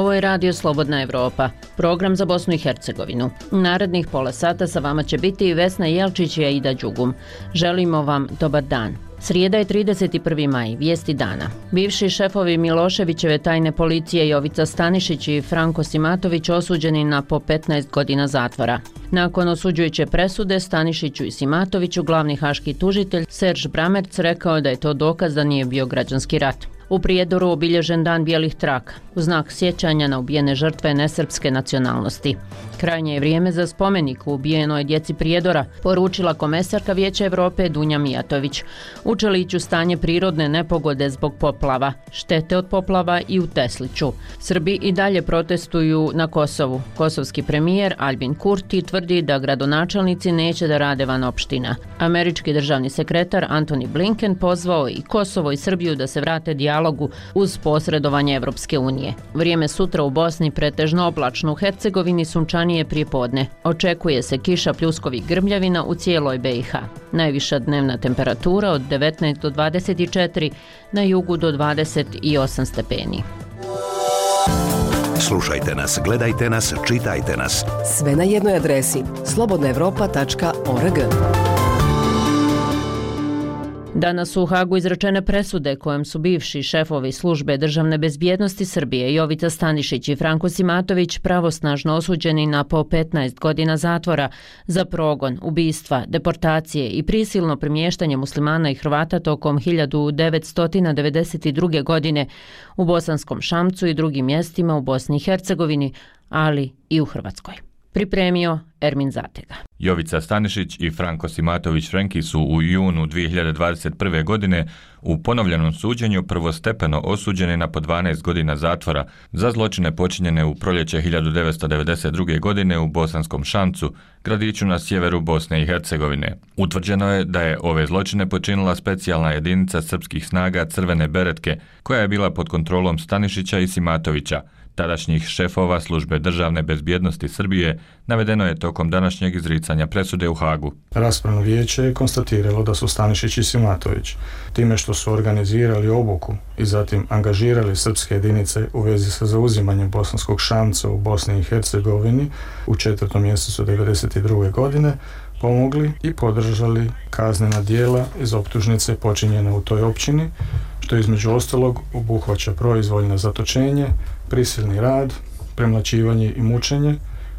Ovo je Radio Slobodna Evropa, program za Bosnu i Hercegovinu. Narednih pola sata sa vama će biti i Vesna Jelčić i Aida Đugum. Želimo vam dobar dan. Srijeda je 31. maj, vijesti dana. Bivši šefovi Miloševićeve tajne policije Jovica Stanišić i Franko Simatović osuđeni na po 15 godina zatvora. Nakon osuđujuće presude Stanišiću i Simatoviću glavni haški tužitelj Serž Bramerc rekao da je to dokaz da nije bio građanski rat. U Prijedoru obilježen dan bijelih traka, u znak sjećanja na ubijene žrtve nesrpske nacionalnosti. Krajnje je vrijeme za spomenik u ubijenoj djeci Prijedora, poručila komesarka Vijeća Evrope Dunja Mijatović. U Čeliću stanje prirodne nepogode zbog poplava, štete od poplava i u Tesliću. Srbi i dalje protestuju na Kosovu. Kosovski premijer Albin Kurti tvrdi da gradonačelnici neće da rade van opština. Američki državni sekretar Antony Blinken pozvao i Kosovo i Srbiju da se vrate dijalogu uz posredovanje Evropske unije. Vrijeme sutra u Bosni pretežno oblačno, u Hercegovini sunčanije prijepodne. Očekuje se kiša, pljuskovi i grmljavina u cijeloj BiH. Najviša dnevna temperatura od 19 do 24, na jugu do 28 stepeni. Slušajte nas, gledajte nas, čitajte nas. Sve na jednoj adresi slobodnaevropa.org. Danas su u Hagu izrečene presude kojom su bivši šefovi službe državne bezbjednosti Srbije Jovica Stanišić i Franko Simatović pravosnažno osuđeni na po 15 godina zatvora za progon, ubistva, deportacije i prisilno premještanje muslimana i Hrvata tokom 1992. godine u Bosanskom Šamcu i drugim mjestima u Bosni i Hercegovini, ali i u Hrvatskoj. Pripremio Ermin Zatega. Jovica Stanišić i Franko Simatović Frenki su u junu 2021. godine u ponovljenom suđenju prvostepeno osuđeni na po 12 godina zatvora za zločine počinjene u proljeće 1992. godine u Bosanskom Šamcu, gradiću na sjeveru Bosne i Hercegovine. Utvrđeno je da je ove zločine počinila specijalna jedinica srpskih snaga Crvene beretke, koja je bila pod kontrolom Stanišića i Simatovića, tadašnjih šefova službe državne bezbjednosti Srbije, navedeno je tokom današnjeg izricanja presude u Hagu. Raspravno vijeće je konstatiralo da su Stanišić i Simatović, time što su organizirali obuku i zatim angažirali srpske jedinice u vezi sa zauzimanjem Bosanskog Šamca u Bosni i Hercegovini u 4. mjesecu 1992. godine, pomogli i podržali kaznena djela iz optužnice počinjene u toj općini, što između ostalog obuhvaća proizvoljno zatočenje, prisilni rad, premlaćivanje i mučenje,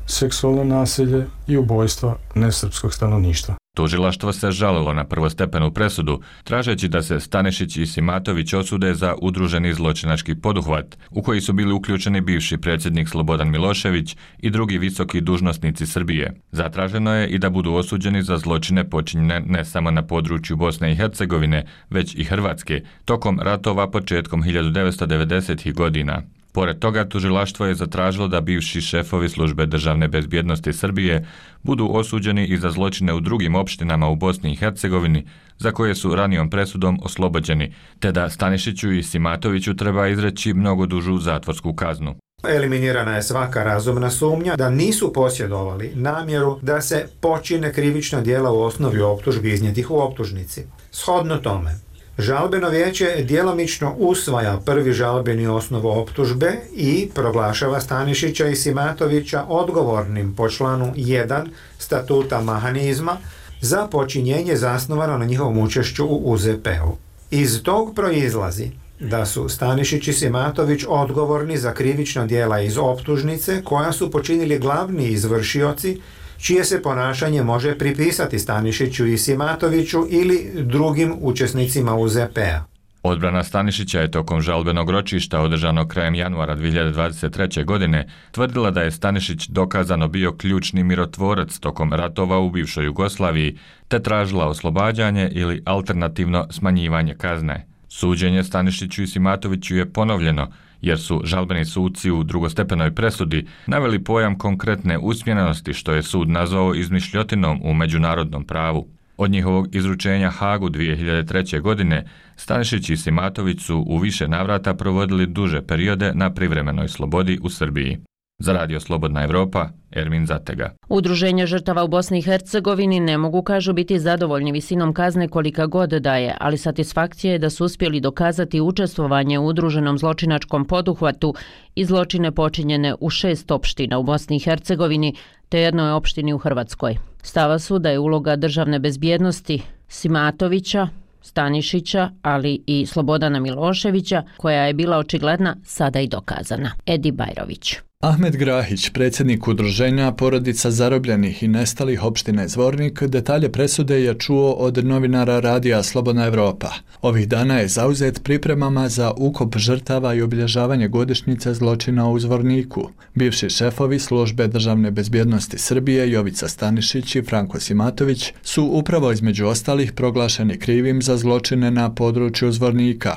seksualno nasilje i ubojstva nesrpskog stanovništva. Tužilaštvo se žalilo na prvostepenu presudu, tražeći da se Stanišić i Simatović osude za udruženi zločinački poduhvat, u koji su bili uključeni bivši predsjednik Slobodan Milošević i drugi visoki dužnosnici Srbije. Zatraženo je i da budu osuđeni za zločine počinjene ne samo na području Bosne i Hercegovine, već i Hrvatske, tokom ratova početkom 1990. godina. Pored toga, tužilaštvo je zatražilo da bivši šefovi službe državne bezbjednosti Srbije budu osuđeni i za zločine u drugim opštinama u Bosni i Hercegovini, za koje su ranijom presudom oslobođeni, te da Stanišiću i Simatoviću treba izreći mnogo dužu zatvorsku kaznu. Eliminirana je svaka razumna sumnja da nisu posjedovali namjeru da se počine krivična djela u osnovi optužbi iznijetih u optužnici. Shodno tome, žalbeno vijeće djelomično usvaja prvi žalbeni osnov optužbe i proglašava Stanišića i Simatovića odgovornim po članu 1 statuta mehanizma za počinjenje zasnovano na njihovom učešću u UZP-u. Iz tog proizlazi da su Stanišić i Simatović odgovorni za krivična djela iz optužnice koja su počinili glavni izvršioci, čije se ponašanje može pripisati Stanišiću i Simatoviću ili drugim učesnicima UZP-a. Odbrana Stanišića je tokom žalbenog ročišta održanog krajem januara 2023. godine tvrdila da je Stanišić dokazano bio ključni mirotvorac tokom ratova u bivšoj Jugoslaviji, te tražila oslobađanje ili alternativno smanjivanje kazne. Suđenje Stanišiću i Simatoviću je ponovljeno, jer su žalbeni suci u drugostepenoj presudi naveli pojam konkretne usmjerenosti, što je sud nazvao izmišljotinom u međunarodnom pravu. Od njihovog izručenja Hagu 2003. godine Stanišić i Simatović su u više navrata provodili duže periode na privremenoj slobodi u Srbiji. Za Radio Slobodna Evropa, Ermin Zatega. Udruženje žrtava u Bosni i Hercegovini ne mogu, kažu, biti zadovoljni visinom kazne kolika god daje, ali satisfakcija je da su uspjeli dokazati učestvovanje u udruženom zločinačkom poduhvatu i zločine počinjene u 6 opština u Bosni i Hercegovini te jednoj opštini u Hrvatskoj. Stava su da je uloga državne bezbjednosti Simatovića, Stanišića, ali i Slobodana Miloševića, koja je bila očigledna, sada i dokazana. Edi Bajrović. Ahmed Grahić, predsjednik udruženja porodica zarobljenih i nestalih opštine Zvornik, detalje presude je čuo od novinara radija Slobodna Evropa. Ovih dana je zauzet pripremama za ukop žrtava i obilježavanje godišnjice zločina u Zvorniku. Bivši šefovi službe državne bezbjednosti Srbije Jovica Stanišić i Franko Simatović su upravo između ostalih proglašeni krivim za zločine na području Zvornika.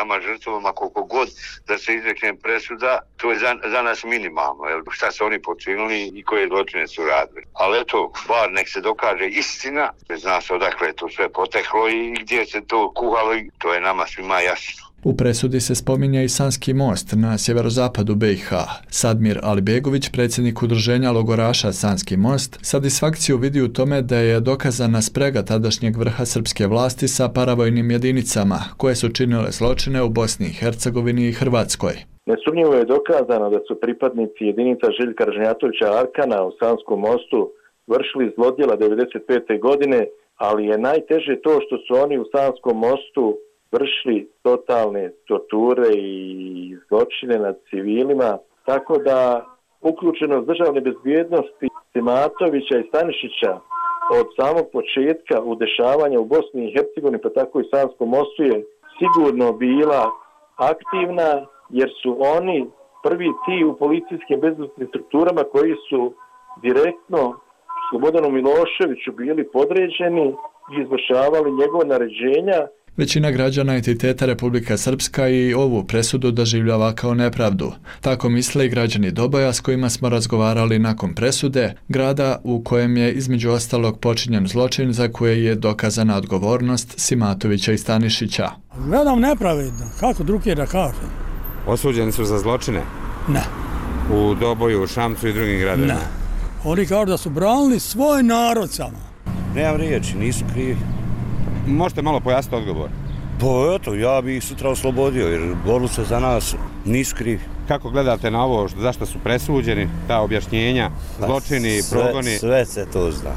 Nama žrtvama koliko god da se izrekne presuda, to je za nas minimalno. Šta su oni počinili i koje zločine su radili. Ali eto, bar nek se dokaže istina, zna se odakle je to sve poteklo i gdje se to kuhalo i to je nama svima jasno. U presudi se spominje i Sanski most na sjeverozapadu BiH. Sadmir Alibegović, predsjednik udruženja logoraša Sanski most, satisfakciju vidi u tome da je dokazana sprega tadašnjeg vrha srpske vlasti sa paravojnim jedinicama koje su činile zločine u Bosni i Hercegovini i Hrvatskoj. Nesumnjivo je dokazano da su pripadnici jedinica Željka Ražnjatovića Arkana u Sanskom mostu vršili zlodjela 1995. godine, ali je najteže to što su oni u Sanskom mostu vršili totalne torture i zločine nad civilima, tako da uključenost državne bezbjednosti Simatovića i Stanišića od samog početka u dešavanja u Bosni i Hercegovini, pa tako i Sanskom mostu, je sigurno bila aktivna, jer su oni prvi ti u policijskim bezbednosnim strukturama koji su direktno Slobodanu Miloševiću bili podređeni i izvršavali njegove naređenja. Većina građana entiteta Republika Srpska i ovu presudu doživljava kao nepravdu. Tako misle i građani Doboja s kojima smo razgovarali nakon presude, grada u kojem je između ostalog počinjen zločin za koje je dokazana odgovornost Simatovića i Stanišića. Gledam nepravedno, kako drugje da kažem. Osuđeni su za zločine? Ne. U Doboju, u Šamcu i drugim gradovima? Ne. Oni kažu da su branili svoj narod samo. Nemam riječi, nisu krivi. Možete malo pojasniti odgovor? Pa eto, ja bih ih sutra oslobodio jer borili se za nas, nisu krivi. Kako gledate na ovo, zašto su presuđeni, ta objašnjenja, zločini, progoni? Sve se to zna.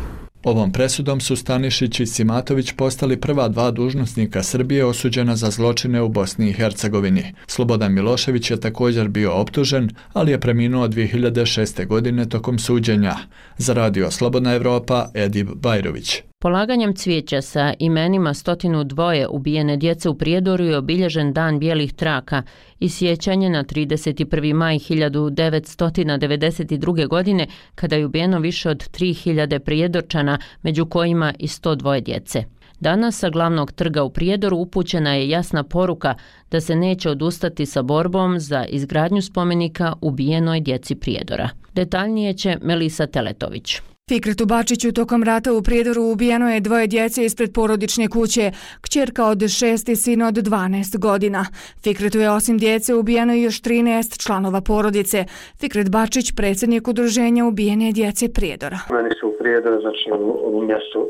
Ovom presudom su Stanišić i Simatović postali prva dva dužnosnika Srbije osuđena za zločine u Bosni i Hercegovini. Slobodan Milošević je također bio optužen, ali je preminuo 2006. godine tokom suđenja. Za Radio Slobodna Evropa, Edib Bajrović. Polaganjem cvijeća sa imenima 102 ubijene djece u Prijedoru je obilježen Dan bijelih traka i sjećanje na 31. maj 1992. godine kada je ubijeno više od 3000 Prijedorčana, među kojima i 102 djece. Danas sa glavnog trga u Prijedoru upućena je jasna poruka da se neće odustati sa borbom za izgradnju spomenika ubijenoj djeci Prijedora. Detaljnije će Melisa Teletović. Fikretu Bačiću tokom rata u Prijedoru ubijeno je 2 djece ispred porodične kuće, kćerka od 6 i sin od 12 godina. Fikretu je osim djece ubijeno i još 13 članova porodice. Fikret Bačić, predsjednik udruženja ubijene djece Prijedora. Meni su u Prijedoru, znači u mjestu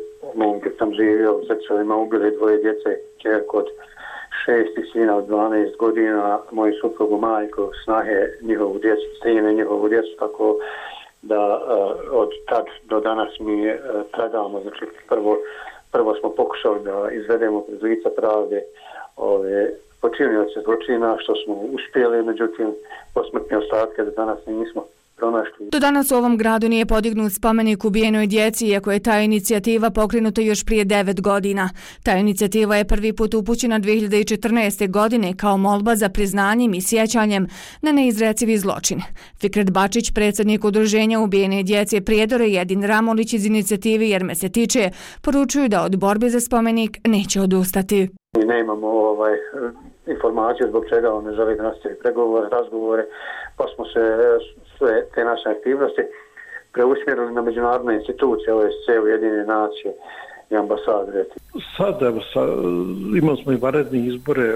gdje sam živio, u Zečevima ubili 2 djece, kćerku od 6 i sina od 12 godina, moju suprugu majku, snahe njihovu djecu, sine njihovu djecu, tako da od tad do danas mi tragamo, znači prvo smo pokušali da izvedemo pred lica pravde ove počinioce zločina, što smo uspjeli, međutim posmrtne ostatke do danas nismo pronašli. Do danas u ovom gradu nije podignut spomenik ubijenoj djeci, iako je ta inicijativa pokrenuta još prije 9 godina. Ta inicijativa je prvi put upućena 2014. godine kao molba za priznanjem i sjećanjem na neizrecivi zločin. Fikret Bačić, predsjednik udruženja ubijene djece Prijedora i Edin Ramolić iz inicijative Jer me se tiče, poručuju da od borbe za spomenik neće odustati. Mi nemamo informacije zbog čega on ne želi da nastavi pregovore, razgovore, pa smo se sve te naše aktivnosti preusmjerili na međunarodne institucije, OSCE, Ujedinjene nacije i ambasade. Sad, evo, imali smo i vanredne izbore,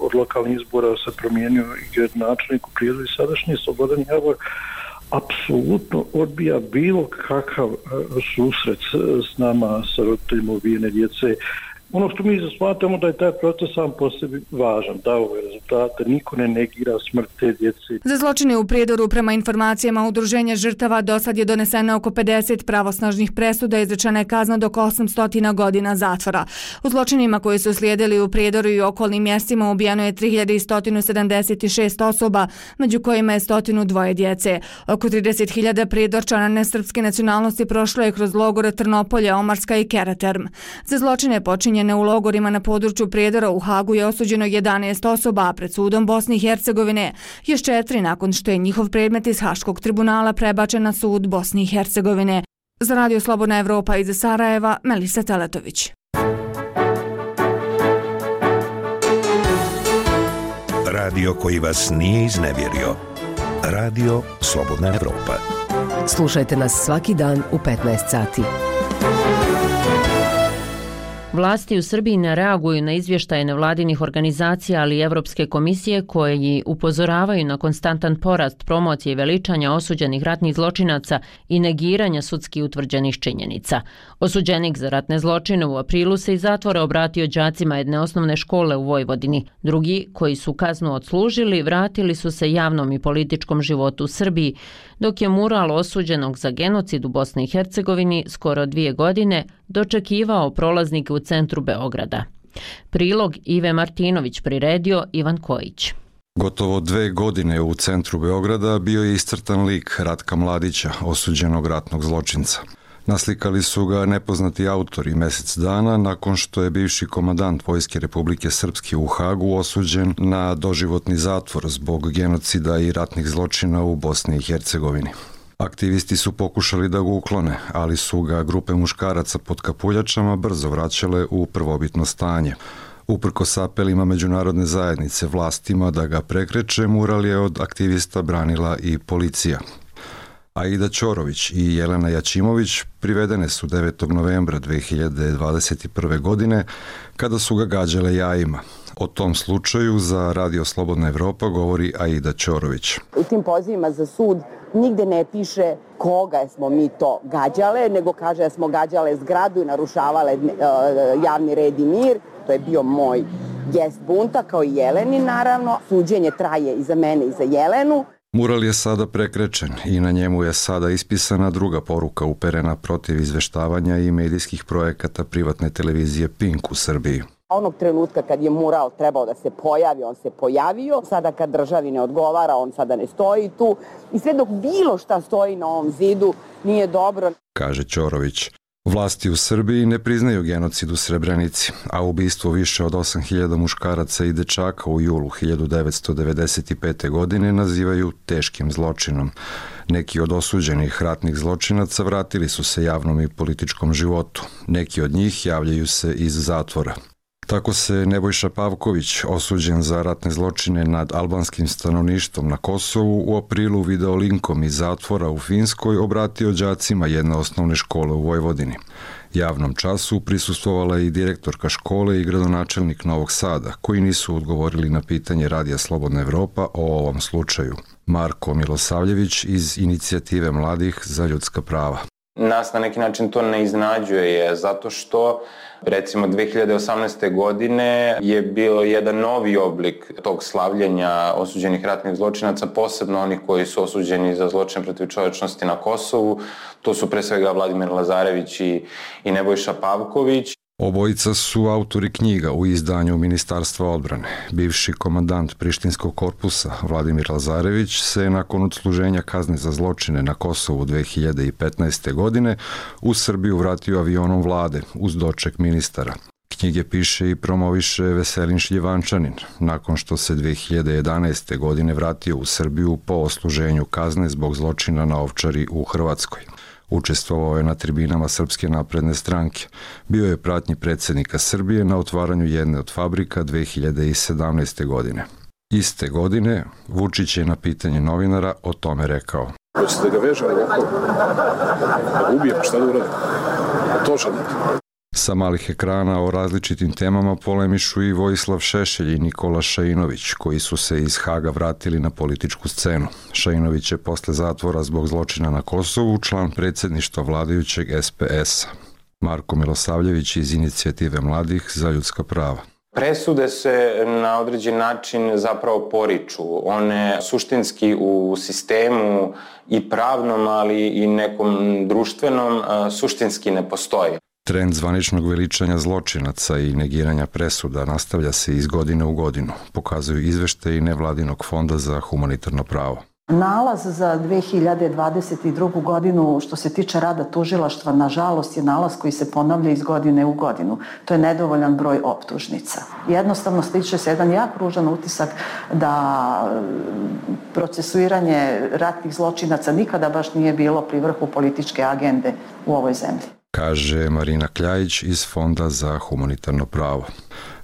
od lokalnih izbora se promijenio i gradonačelnik u Prijedu i sadašnji Slobodan Javor apsolutno odbija bilo kakav susret s nama, sa roditeljima ubijene djece. Ono što mi smatramo da je taj proces sam po sebi važan, dao je rezultate, niko ne negira smrt te djece. Za zločine u Prijedoru, prema informacijama Udruženja žrtava, do sad je doneseno oko 50 pravosnažnih presuda i izrečena je kazna do 800 godina zatvora. U zločinima koji su slijedili u Prijedoru i okolnim mjestima ubijano je 3176 osoba, među kojima je 102 djece. Oko 30.000 Prijedorčana nesrpske nacionalnosti prošlo je kroz logore Trnopolje, Omarska i Keraterm. Za zločine počinjene u logorima na području Prijedora u Hagu je osuđeno 11 osoba, a pred sudom Bosne i Hercegovine još 4 nakon što je njihov predmet iz Haškog tribunala prebačen na sud Bosne i Hercegovine. Za Radio Slobodna Evropa iz Sarajeva, Melisa Teletović. Radio koji vas nije iznevjerio. Radio Slobodna Evropa. Slušajte nas svaki dan u 15 sati. Vlasti u Srbiji ne reaguju na izvještaje nevladinih organizacija, ali i Evropske komisije koji upozoravaju na konstantan porast promocije i veličanja osuđenih ratnih zločinaca i negiranja sudski utvrđenih činjenica. Osuđenik za ratne zločine u aprilu se iz zatvora obratio đacima jedne osnovne škole u Vojvodini. Drugi, koji su kaznu odslužili, vratili su se javnom i političkom životu u Srbiji, dok je mural osuđenog za genocid u Bosni i Hercegovini skoro 2 godine dočekivao prolaznike u centru Beograda. Prilog Ive Martinović priredio Ivan Kojić. Gotovo 2 godine u centru Beograda bio je iscrtan lik Ratka Mladića, osuđenog ratnog zločinca. Naslikali su ga nepoznati autori mjesec dana nakon što je bivši komandant Vojske Republike Srpske u Hagu osuđen na doživotni zatvor zbog genocida i ratnih zločina u Bosni i Hercegovini. Aktivisti su pokušali da ga uklone, ali su ga grupe muškaraca pod kapuljačama brzo vraćale u prvobitno stanje. Uprkos apelima međunarodne zajednice vlastima da ga prekreče, mural je od aktivista branila i policija. Aida Ćorović i Jelena Jačimović privedene su 9. novembra 2021. godine kada su ga gađale jajima. O tom slučaju za Radio Slobodna Evropa govori Aida Ćorović. U tim pozivima za sud nigde ne piše koga smo mi to gađale, nego kaže da smo gađale zgradu i narušavale javni red i mir. To je bio moj gest bunta, kao i Jeleni naravno. Suđenje traje i za mene i za Jelenu. Mural je sada prekrečen i na njemu je sada ispisana druga poruka uperena protiv izveštavanja i medijskih projekata privatne televizije Pink u Srbiji. Onog trenutka kad je mural trebao da se pojavi, on se pojavio. Sada kad državi ne odgovara, on sada ne stoji tu. I sve dok bilo šta stoji na ovom zidu nije dobro, kaže Ćorović. Vlasti u Srbiji ne priznaju genocid u Srebrenici, a ubistvo više od 8.000 muškaraca i dečaka u julu 1995. godine nazivaju teškim zločinom. Neki od osuđenih ratnih zločinaca vratili su se javnom i političkom životu. Neki od njih javljaju se iz zatvora. Tako se Nebojša Pavković, osuđen za ratne zločine nad albanskim stanovništvom na Kosovu, u aprilu video linkom iz zatvora u Finskoj obratio đacima jedne osnovne škole u Vojvodini. Javnom času prisustvovala i direktorka škole i gradonačelnik Novog Sada, koji nisu odgovorili na pitanje Radija Slobodna Evropa o ovom slučaju. Marko Milosavljević iz Inicijative mladih za ljudska prava. Nas na neki način to ne iznenađuje, zato što recimo 2018. godine je bio jedan novi oblik tog slavljenja osuđenih ratnih zločinaca, posebno onih koji su osuđeni za zločine protiv čovječnosti na Kosovu. To su pre svega Vladimir Lazarević i Nebojša Pavković. Obojica su autori knjiga u izdanju Ministarstva odbrane. Bivši komandant Prištinskog korpusa Vladimir Lazarević se nakon odsluženja kazne za zločine na Kosovu 2015. godine u Srbiju vratio avionom vlade uz doček ministara. Knjige piše i promoviše Veselin Šljivančanin, nakon što se 2011. godine vratio u Srbiju po odsluženju kazne zbog zločina na Ovčari u Hrvatskoj. Učestvovao je na tribinama Srpske napredne stranke. Bio je pratnji predsjednika Srbije na otvaranju jedne od fabrika 2017. godine. Iste godine Vučić je na pitanje novinara o tome rekao. Hoćete da ga vežem ovako? Da ga ubijem, šta da uradim? točan. Sa malih ekrana o različitim temama polemišu i Vojislav Šešelj i Nikola Šainović, koji su se iz Haga vratili na političku scenu. Šainović je posle zatvora zbog zločina na Kosovu član predsjedništva vladajućeg SPS-a. Marko Milosavljević iz Inicijative mladih za ljudska prava. Presude se na određen način zapravo poriču. One suštinski u sistemu i pravnom, ali i nekom društvenom suštinski ne postoje. Trend zvaničnog veličanja zločinaca i negiranja presuda nastavlja se iz godine u godinu, pokazuju izveštaji nevladinog fonda za humanitarno pravo. Nalaz za 2022. godinu što se tiče rada tužilaštva, nažalost, je nalaz koji se ponavlja iz godine u godinu. To je nedovoljan broj optužnica. Jednostavno stiče se jedan jak ružan utisak da procesuiranje ratnih zločinaca nikada baš nije bilo pri vrhu političke agende u ovoj zemlji, kaže Marina Kljajić iz Fonda za humanitarno pravo.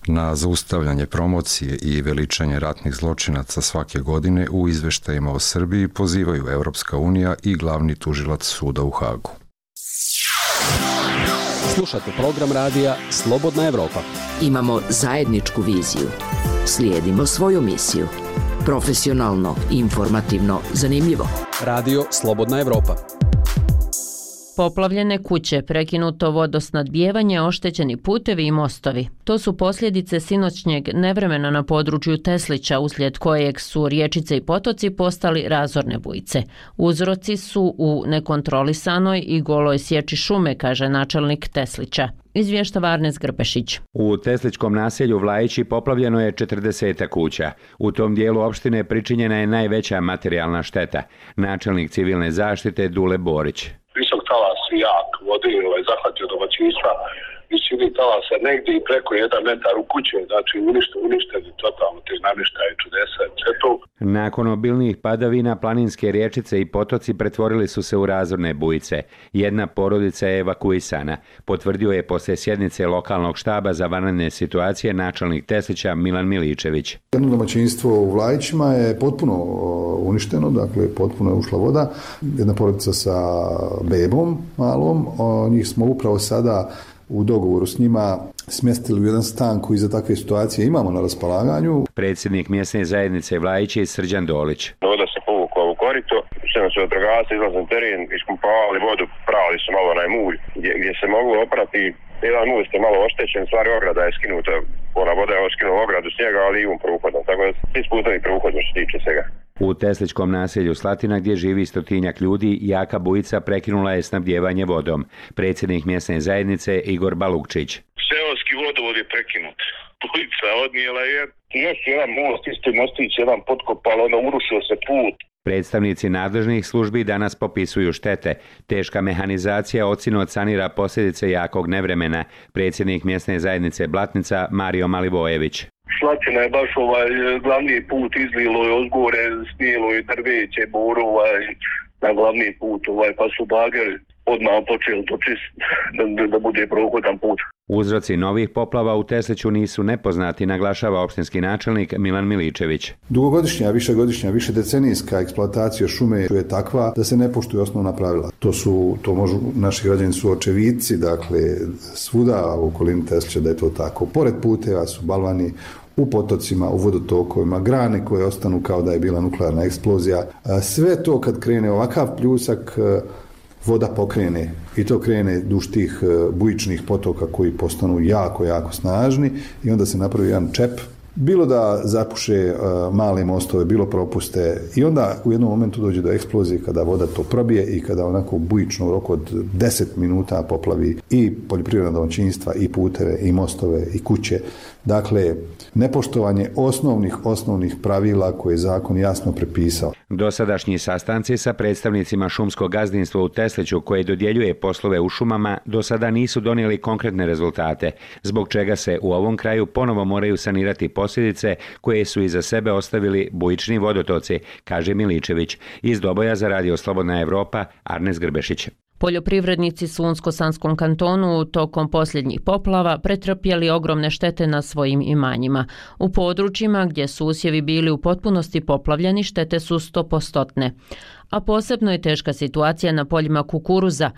Na zaustavljanje promocije i veličanje ratnih zločinaca svake godine u izveštajima o Srbiji pozivaju Evropska unija i glavni tužilac suda u Hagu. Slušate program radija Slobodna Evropa. Imamo zajedničku viziju. Slijedimo svoju misiju. Profesionalno, informativno, zanimljivo. Radio Slobodna Evropa. Poplavljene kuće, prekinuto vodosnadbijevanje, oštećeni putevi i mostovi. To su posljedice sinoćnjeg nevremena na području Teslića, uslijed kojeg su riječice i potoci postali razorne bujice. Uzroci su u nekontrolisanoj i goloj sječi šume, kaže načelnik Teslića. Izvještava Arnes Grbešić. U Teslićkom naselju Vlajići poplavljeno je 40 kuća. U tom dijelu opštine pričinjena je najveća materijalna šteta. Načelnik civilne zaštite Dule Borić. Visok talas i jak vode zahvatio domaćinstva, visini talasa negdje i preko 1 metar u kuće, znači uništeni totalno te namještaje, čudesa i sve to. Nakon obilnih padavina, planinske riječice i potoci pretvorili su se u razorne bujice. Jedna porodica je evakuisana, potvrdio je poslije sjednice lokalnog štaba za vanredne situacije načelnik Teslića Milan Miličević. Jedno domaćinstvo u Vlajićima je potpuno uništeno, dakle potpuno je ušla voda. Jedna porodica sa bebom malom, njih smo upravo sada u dogovoru s njima smjestili u jedan stan koji za takve situacije imamo na raspolaganju. Predsjednik mjesne zajednice Vlajići Srđan Dolić. Voda se povukla u korito, sve su vatrogasci izlazili na teren, ispumpavali vodu, pravili su malo onaj mulj gdje se moglo oprati. Jedan most je malo oštećen, stvari ograda je skinuta, ona voda je skinula ogradu snijega, ali i prohodom, tako da svi sputovi prohodom što tiče svega. U Teslićkom naselju Slatina, gdje živi 100-tinjak ljudi, jaka bujica prekinula je snabdijevanje vodom. Predsjednik mjesne zajednice Igor Balukčić. Seoski vodovod je prekinut. Bujica odnijela je. Još jedan most, isti mostić, jedan potkopal, onda urušio se put. Predstavnici nadležnih službi danas popisuju štete. Teška mehanizacija ocino sanira posljedice jakog nevremena. Predsjednik mjesne zajednice Blatnica Mario Malivojević. Slatina je baš glavni put izlilo je ozgore, snijelo je drveće, boru na glavni put, pa su bageri odmah počeli to čistiti da bude prohodan put. Uzroci novih poplava u Tesliću nisu nepoznati, naglašava opštinski načelnik Milan Miličević. Dugogodišnja, višegodišnja, višedecenijska eksploatacija šume je takva da se ne poštuju osnovna pravila. To možu naši građani su očevidci, dakle svuda u okolini Teslića da je to tako. Pored puteva su balvani, u potocima, u vodotokovima, grane koje ostanu kao da je bila nuklearna eksplozija. Sve to kad krene ovakav pljusak, voda pokrene i to krene duž tih bujičnih potoka koji postanu jako, jako snažni i onda se napravi jedan čep. Bilo da zapuše male mostove, bilo propuste i onda u jednom momentu dođe do eksplozije kada voda to probije i kada onako u bujičnom roku od 10 minuta poplavi i poljoprivredna domaćinstva i puteve i mostove i kuće. Dakle, nepoštovanje osnovnih pravila koje je zakon jasno prepisao. Dosadašnji sastanci sa predstavnicima šumskog gazdinstva u Tesliću koje dodjeljuje poslove u šumama do sada nisu donijeli konkretne rezultate, zbog čega se u ovom kraju ponovo moraju sanirati posljedice koje su iza sebe ostavili bujični vodotoci, kaže Miličević. Iz Doboja za Radio Slobodna Evropa, Arnes Grbešić. Poljoprivrednici su u Unsko-Sanskom kantonu tokom posljednjih poplava pretrpjeli ogromne štete na svojim imanjima. U područjima gdje su usjevi bili u potpunosti poplavljeni, štete su 100%. A posebno je teška situacija na poljima kukuruza,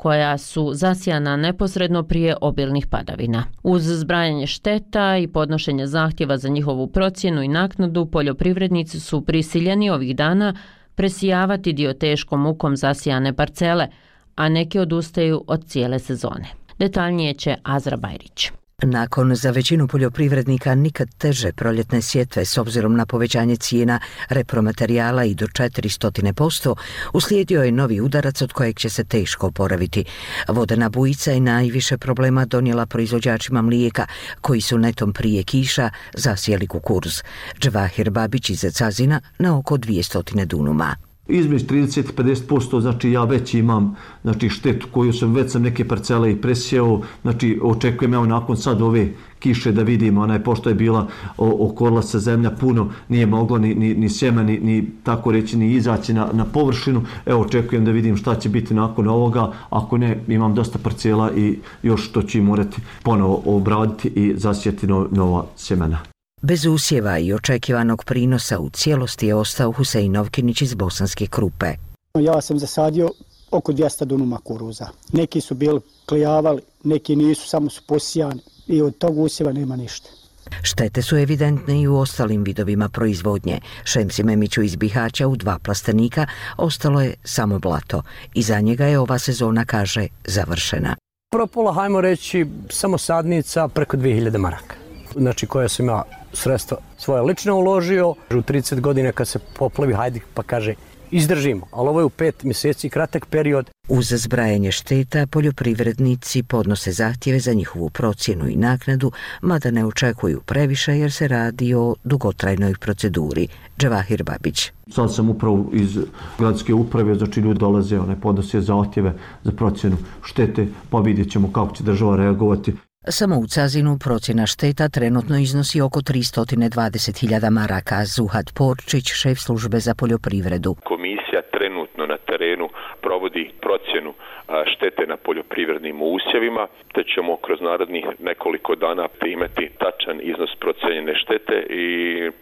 koja su zasijana neposredno prije obilnih padavina. Uz zbrajanje šteta i podnošenje zahtjeva za njihovu procjenu i naknadu, poljoprivrednici su prisiljeni ovih dana presijavati dio teškom mukom zasijane parcele, a neki odustaju od cijele sezone. Detaljnije će Azra Bajrić. Nakon za većinu poljoprivrednika nikad teže proljetne sjetve s obzirom na povećanje cijena repromaterijala i do 400%, uslijedio je novi udarac od kojeg će se teško oporaviti. Vodena bujica je najviše problema donijela proizvođačima mlijeka koji su netom prije kiša zasijeli kukuruz. Džvahir Babić iz Cazina na oko 200 dunuma. Između 30-50%, znači ja već imam štetu koju već sam neke parcele i presijeo, očekujem evo nakon sad ove kiše da vidimo, pošto je bila okorila se zemlja puno, nije moglo ni sjema, ni tako reći, ni izaći na površinu. Evo očekujem da vidim šta će biti nakon ovoga, ako ne, imam dosta parcela i još to ću morati ponovo obraditi i zasijeti nova sjemena. Bez usjeva i očekivanog prinosa u cijelosti je ostao Husein Novkinić iz Bosanske Krupe. Ja sam zasadio oko 200 dunuma kuruza. Neki su bili klijavali, neki nisu, samo su posijani i od tog usjeva nema ništa. Štete su evidentne i u ostalim vidovima proizvodnje. Šemsi Memiću iz Bihaća u 2 plastenika ostalo je samo blato. I za njega je ova sezona, kaže, završena. Prvo pola, hajmo reći, samo sadnica preko 2000 maraka. Koja sam ja sredstva svoje lično uložio. U 30 godina kad se poplavi, hajde pa kaže izdržimo, ali ovo je u 5 mjeseci kratak period. Uz zbrajanje šteta poljoprivrednici podnose zahtjeve za njihovu procjenu i naknadu, mada ne očekuju previše jer se radi o dugotrajnoj proceduri. Džvahir Babić. Sad sam upravo iz gradske uprave, ljudi dolaze, podnose zahtjeve za procjenu štete, pa vidjet ćemo kako će država reagovati. Samo u Cazinu procjena šteta trenutno iznosi oko 320.000 maraka. Zuhad Porčić, šef službe za poljoprivredu. Komisija trenutno na terenu provodi procjenu štete na poljoprivrednim usjevima, te ćemo kroz narednih nekoliko dana imati tačan iznos procijenjene štete i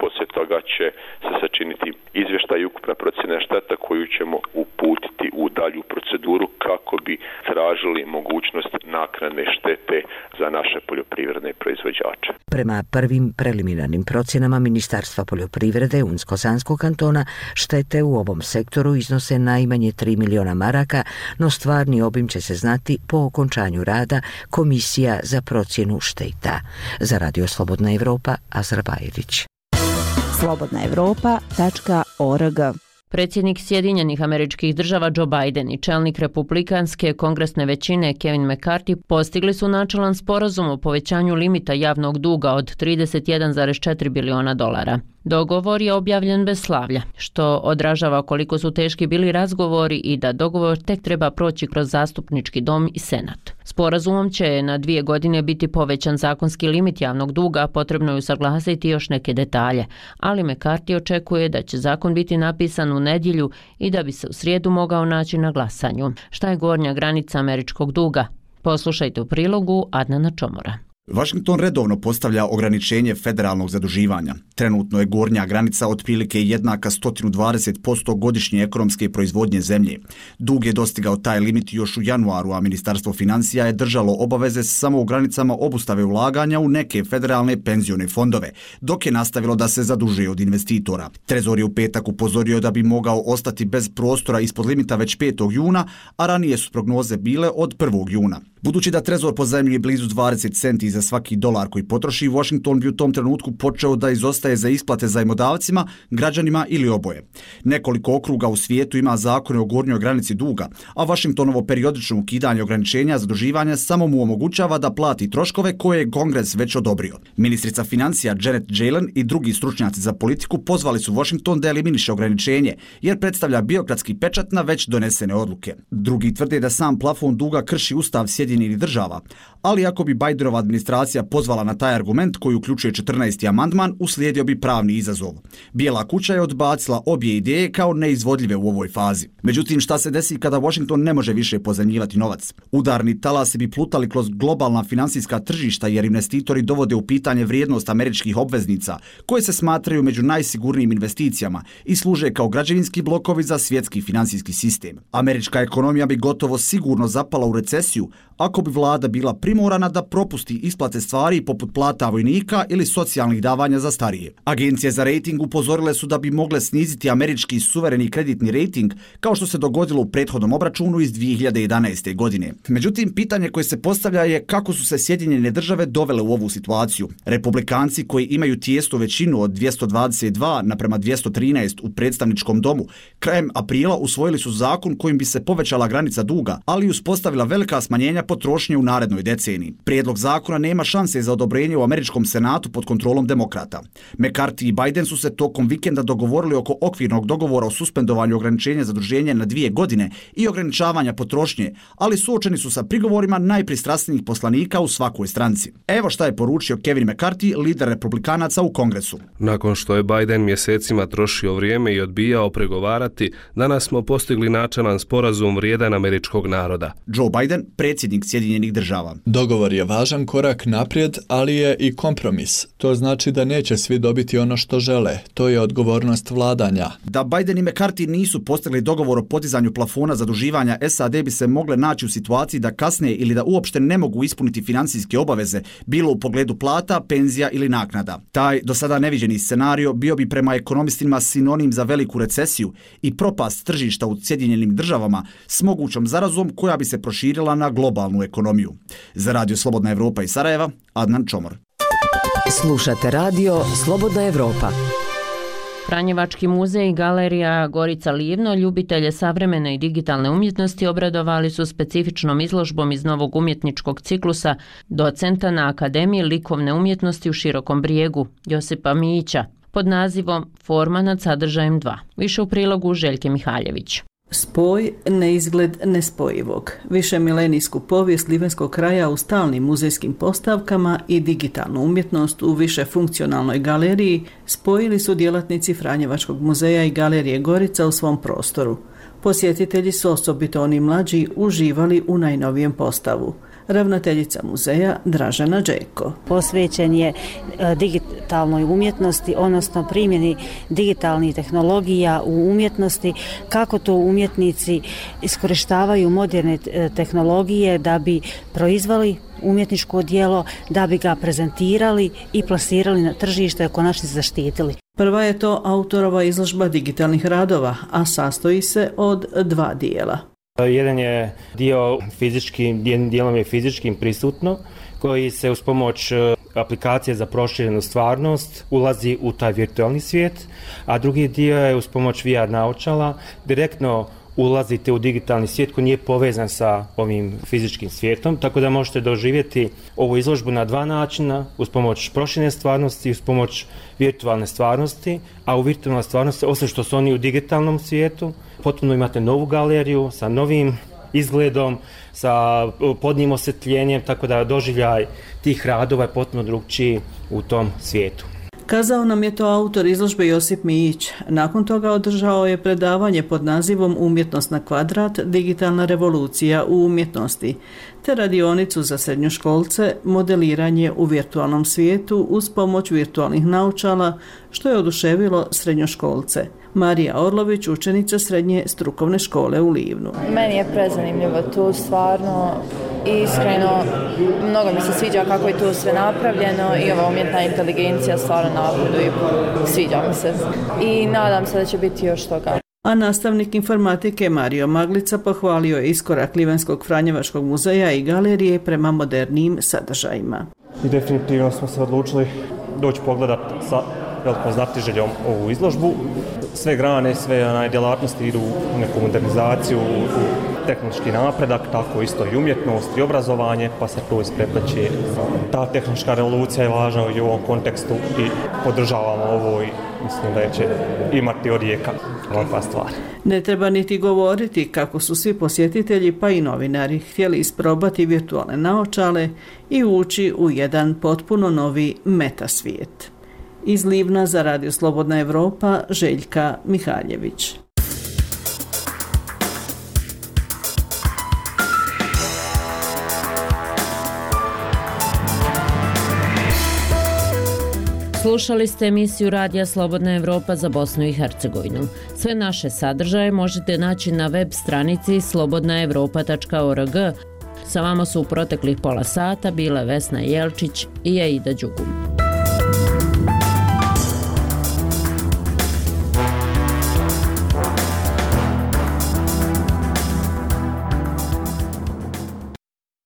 poslije toga će se sačiniti izvještaj i ukupna procjena šteta koju ćemo uputiti u dalju proceduru kako bi tražili mogućnost naknadne štete za naše poljoprivredne proizvođače. Prema prvim preliminarnim procjenama Ministarstva poljoprivrede Unsko-Sanskog kantona, štete u ovom sektoru iznose najmanje 3 miliona maraka, no stvarni obim će se znati po okončanju rada Komisija za procjenu šteta. Za Radio Slobodna Evropa, Azra Bajrić. slobodnaevropa.org. Predsjednik Sjedinjenih Američkih Država Joe Biden i čelnik republikanske kongresne većine Kevin McCarthy postigli su načelan sporazum o povećanju limita javnog duga od $31,4 biliona. Dogovor je objavljen bez slavlja, što odražava koliko su teški bili razgovori i da dogovor tek treba proći kroz zastupnički dom i senat. Sporazumom će na 2 godine biti povećan zakonski limit javnog duga, potrebno je usaglasiti još neke detalje, ali McCarthy očekuje da će zakon biti napisan u nedjelju i da bi se u srijedu mogao naći na glasanju. Šta je gornja granica američkog duga? Poslušajte u prilogu Adnana Čomora. Washington redovno postavlja ograničenje federalnog zaduživanja. Trenutno je gornja granica otprilike jednaka 120% godišnje ekonomske proizvodnje zemlje. Dug je dostigao taj limit još u januaru, a Ministarstvo financija je držalo obaveze samo u granicama obustave ulaganja u neke federalne penzione fondove, dok je nastavilo da se zadužuje od investitora. Trezor je u petak upozorio da bi mogao ostati bez prostora ispod limita već 5. juna, a ranije su prognoze bile od 1. juna. Budući da Trezor pozajmljuje blizu 20 centi za svaki dolar koji potroši, Washington bi u tom trenutku počeo da izostaje za isplate zajmodavcima, građanima ili oboje. Nekoliko okruga u svijetu ima zakone o gornjoj granici duga, a Washingtonovo periodično ukidanje ograničenja zaduživanja samo mu omogućava da plati troškove koje je Kongres već odobrio. Ministrica financija Janet Yellen i drugi stručnjaci za politiku pozvali su Washington da eliminiše ograničenje, jer predstavlja birokratski pečat na već donesene odluke. Drugi tvrde da sam plafon duga krši Ustav Sjedinjenih Sjedinjenih država, ali ako bi Bidenova administracija pozvala na taj argument koji uključuje 14. amandman, uslijedio bi pravni izazov. Bijela kuća je odbacila obje ideje kao neizvodljive u ovoj fazi. Međutim, šta se desi kada Washington ne može više pozajmljivati novac? Udarni talasi bi plutali kroz globalna finansijska tržišta jer investitori dovode u pitanje vrijednost američkih obveznica, koje se smatraju među najsigurnijim investicijama i služe kao građevinski blokovi za svjetski finansijski sistem. Američka ekonomija bi gotovo sigurno zapala u recesiju ako bi vlada bila primorana da propusti isplate stvari poput plata vojnika ili socijalnih davanja za starije. Agencije za rejting upozorile su da bi mogle sniziti američki suvereni kreditni rejting, kao što se dogodilo u prethodnom obračunu iz 2011. godine. Međutim, pitanje koje se postavlja je kako su se Sjedinjene države dovele u ovu situaciju. Republikanci koji imaju tijesnu većinu od 222 naprema 213 u predstavničkom domu, krajem aprila usvojili su zakon kojim bi se povećala granica duga, ali i uspostavila velika smanjenja potrošnje u narednoj deceniji. Prijedlog zakona nema šanse za odobrenje u američkom senatu pod kontrolom demokrata. McCarthy i Biden su se tokom vikenda dogovorili oko okvirnog dogovora o suspendovanju ograničenja zaduženja na 2 godine i ograničavanja potrošnje, ali suočeni su sa prigovorima najpristrasnijih poslanika u svakoj stranci. Evo šta je poručio Kevin McCarthy, lider republikanaca u Kongresu. Nakon što je Biden mjesecima trošio vrijeme i odbijao pregovarati, danas smo postigli načelan sporazum vrijedan američkog naroda. Joe Biden, predsjednik Sjedinjenih država. Dogovor je važan korak naprijed, ali je i kompromis. To znači da neće svi dobiti ono što žele. To je odgovornost vladanja. Da Biden i McCarthy nisu postigli dogovor o podizanju plafona zaduživanja, SAD bi se mogle naći u situaciji da kasne ili da uopšte ne mogu ispuniti financijske obaveze, bilo u pogledu plata, penzija ili naknada. Taj do sada neviđeni scenario bio bi prema ekonomistima sinonim za veliku recesiju i propast tržišta u Sjedinjenim državama s mogućom zarazom koja bi se proširila na globalnu ekonomiju. Za Radio Slobodna Evropa iz Sarajeva, Adnan Čomor. Slušate Radio Slobodna Evropa. Franjevački muzej i galerija Gorica Livno ljubitelje savremene i digitalne umjetnosti obradovali su specifičnom izložbom iz novog umjetničkog ciklusa docenta na Akademiji likovne umjetnosti u Širokom Brijegu, Josipa Mijića, pod nazivom Forma nad sadržajem 2. Više u prilogu Željke Mihaljević. Spoj, neizgled nespojivog. Višemilenijsku povijest livenskog kraja u stalnim muzejskim postavkama i digitalnu umjetnost u višefunkcionalnoj galeriji spojili su djelatnici Franjevačkog muzeja i galerije Gorica u svom prostoru. Posjetitelji su, osobito oni mlađi, uživali u najnovijem postavu. Ravnateljica muzeja Dražena Đeko. Posvećen je digitalnoj umjetnosti, odnosno primjeni digitalnih tehnologija u umjetnosti, kako to umjetnici iskorištavaju moderne tehnologije da bi proizveli umjetničko djelo, da bi ga prezentirali i plasirali na tržište i konačno zaštitili. Prva je to autorova izložba digitalnih radova, a sastoji se od 2 dijela. Jedan je dio fizički, jednim dijelom je fizičkim prisutno, koji se uz pomoć aplikacije za proširenu stvarnost ulazi u taj virtualni svijet, a drugi dio je uz pomoć VR naočala direktno ulazite u digitalni svijet koji nije povezan sa ovim fizičkim svijetom, tako da možete doživjeti ovu izložbu na 2 načina, uz pomoć proširene stvarnosti i uz pomoć virtualne stvarnosti, a u virtualnoj stvarnosti, osim što su oni u digitalnom svijetu, potpuno imate novu galeriju sa novim izgledom, sa podnijim osvjetljenjem, tako da doživljaj tih radova je potpuno drugčiji u tom svijetu. Kazao nam je to autor izložbe Josip Mijić. Nakon toga održao je predavanje pod nazivom Umjetnost na kvadrat, digitalna revolucija u umjetnosti, te radionicu za srednjoškolce, modeliranje u virtualnom svijetu uz pomoć virtualnih naočala, što je oduševilo srednjoškolce. Marija Orlović, učenica srednje strukovne škole u Livnu. Meni je prezanimljivo tu, stvarno, iskreno, mnogo mi se sviđa kako je tu sve napravljeno i ova umjetna inteligencija stvarno napreduje, sviđa mi se i nadam se da će biti još toga. A nastavnik informatike Mario Maglica pohvalio je iskorak Livenskog Franjevačkog muzeja i galerije prema modernijim sadržajima. I definitivno smo se odlučili doći pogledati sa velikom znatiželjom ovu izložbu. Sve grane, sve djelatnosti idu u neku modernizaciju, u tehnološki napredak, tako isto i umjetnost i obrazovanje, pa se to isprepleće. Ta tehnološka revolucija je važna i u ovom kontekstu i podržavamo ovo i mislim da će imati odjeka. ovakva stvar. Ne treba niti govoriti kako su svi posjetitelji pa i novinari htjeli isprobati virtualne naočale i ući u jedan potpuno novi metasvijet. Iz Livna za Radio Slobodna Evropa, Željka Mihaljević. Slušali ste emisiju Radija Slobodna Evropa za Bosnu i Hercegovinu. Sve naše sadržaje možete naći na web stranici slobodnaevropa.org. Sa vama su u proteklih pola sata bile Vesna Jelčić i Aida Đugum.